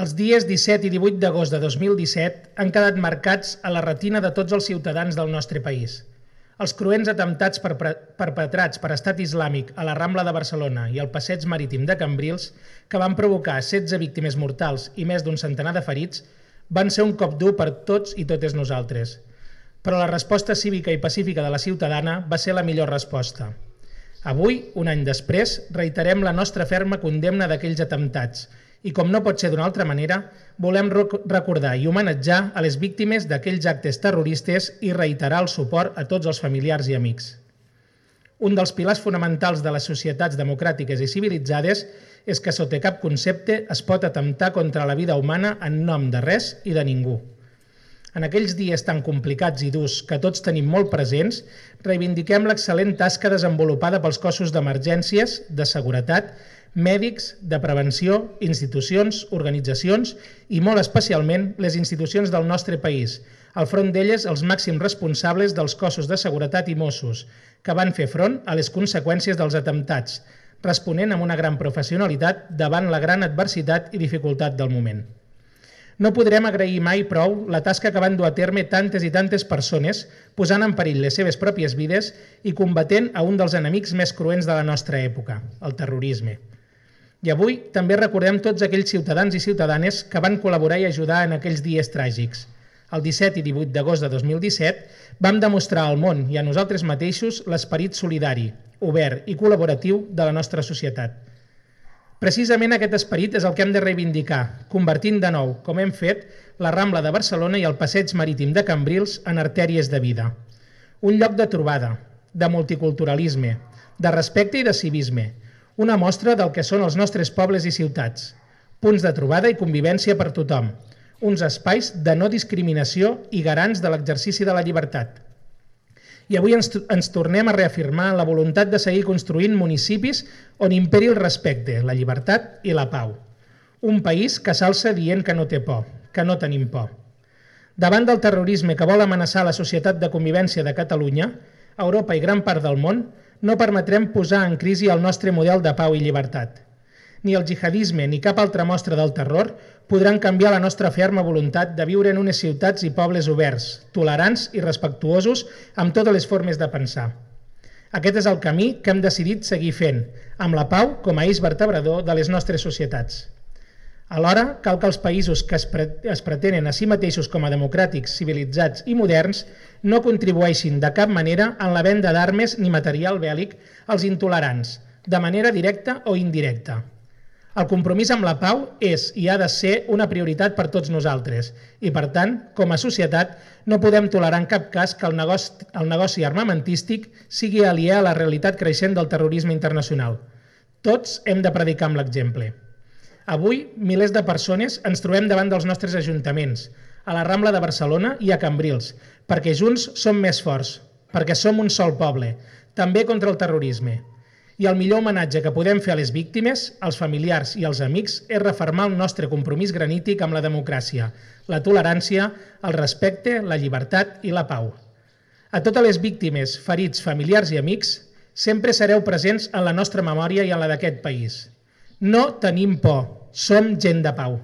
Els dies 17 i 18 d'agost de 2017 han quedat marcats a la retina de tots els ciutadans del nostre país. Els cruents atemptats perpetrats per Estat Islàmic a la Rambla de Barcelona i al passeig marítim de Cambrils, que van provocar 16 víctimes mortals i més d'un centenar de ferits, van ser un cop dur per tots i totes nosaltres. Però la resposta cívica i pacífica de la ciutadana va ser la millor resposta. Avui, un any després, reiterem la nostra ferma condemna d'aquells atemptats i, com no pot ser d'una altra manera, volem recordar i homenatjar a les víctimes d'aquells actes terroristes i reiterar el suport a tots els familiars i amics. Un dels pilars fonamentals de les societats democràtiques i civilitzades és que sota cap concepte es pot atemptar contra la vida humana en nom de res i de ningú. En aquells dies tan complicats i durs que tots tenim molt presents, reivindiquem l'excel·lent tasca desenvolupada pels cossos d'emergències, de seguretat, mèdics, de prevenció, institucions, organitzacions i molt especialment les institucions del nostre país, al front d'elles els màxims responsables dels cossos de seguretat i Mossos, que van fer front a les conseqüències dels atemptats, responent amb una gran professionalitat davant la gran adversitat i dificultat del moment. No podrem agrair mai prou la tasca que van dur a terme tantes i tantes persones, posant en perill les seves pròpies vides i combatent a un dels enemics més cruents de la nostra època, el terrorisme. I avui també recordem tots aquells ciutadans i ciutadanes que van col·laborar i ajudar en aquells dies tràgics. El 17 i 18 d'agost de 2017 vam demostrar al món i a nosaltres mateixos l'esperit solidari, obert i col·laboratiu de la nostra societat. Precisament aquest esperit és el que hem de reivindicar, convertint de nou, com hem fet, la Rambla de Barcelona i el passeig marítim de Cambrils en artèries de vida. Un lloc de trobada, de multiculturalisme, de respecte i de civisme, una mostra del que són els nostres pobles i ciutats, punts de trobada i convivència per tothom, uns espais de no discriminació i garants de l'exercici de la llibertat. I avui ens tornem a reafirmar la voluntat de seguir construint municipis on imperi el respecte, la llibertat i la pau. Un país que s'alça dient que no té por, que no tenim por. Davant del terrorisme que vol amenaçar la societat de convivència de Catalunya, Europa i gran part del món, no permetrem posar en crisi el nostre model de pau i llibertat. Ni el jihadisme ni cap altra mostra del terror podran canviar la nostra ferma voluntat de viure en unes ciutats i pobles oberts, tolerants i respectuosos amb totes les formes de pensar. Aquest és el camí que hem decidit seguir fent, amb la pau com a eix vertebrador de les nostres societats. Alhora, cal que els països que es pretenen a si mateixos com a democràtics, civilitzats i moderns no contribueixin de cap manera en la venda d'armes ni material bèl·lic als intolerants, de manera directa o indirecta. El compromís amb la pau és i ha de ser una prioritat per tots nosaltres i, per tant, com a societat, no podem tolerar en cap cas que el negoci armamentístic sigui aliè a la realitat creixent del terrorisme internacional. Tots hem de predicar amb l'exemple. Avui, milers de persones ens trobem davant dels nostres ajuntaments, a la Rambla de Barcelona i a Cambrils, perquè junts som més forts, perquè som un sol poble, també contra el terrorisme. I el millor homenatge que podem fer a les víctimes, als familiars i als amics és refermar el nostre compromís granític amb la democràcia, la tolerància, el respecte, la llibertat i la pau. A totes les víctimes, ferits, familiars i amics, sempre sereu presents en la nostra memòria i en la d'aquest país. No tenim por, som gent de pau.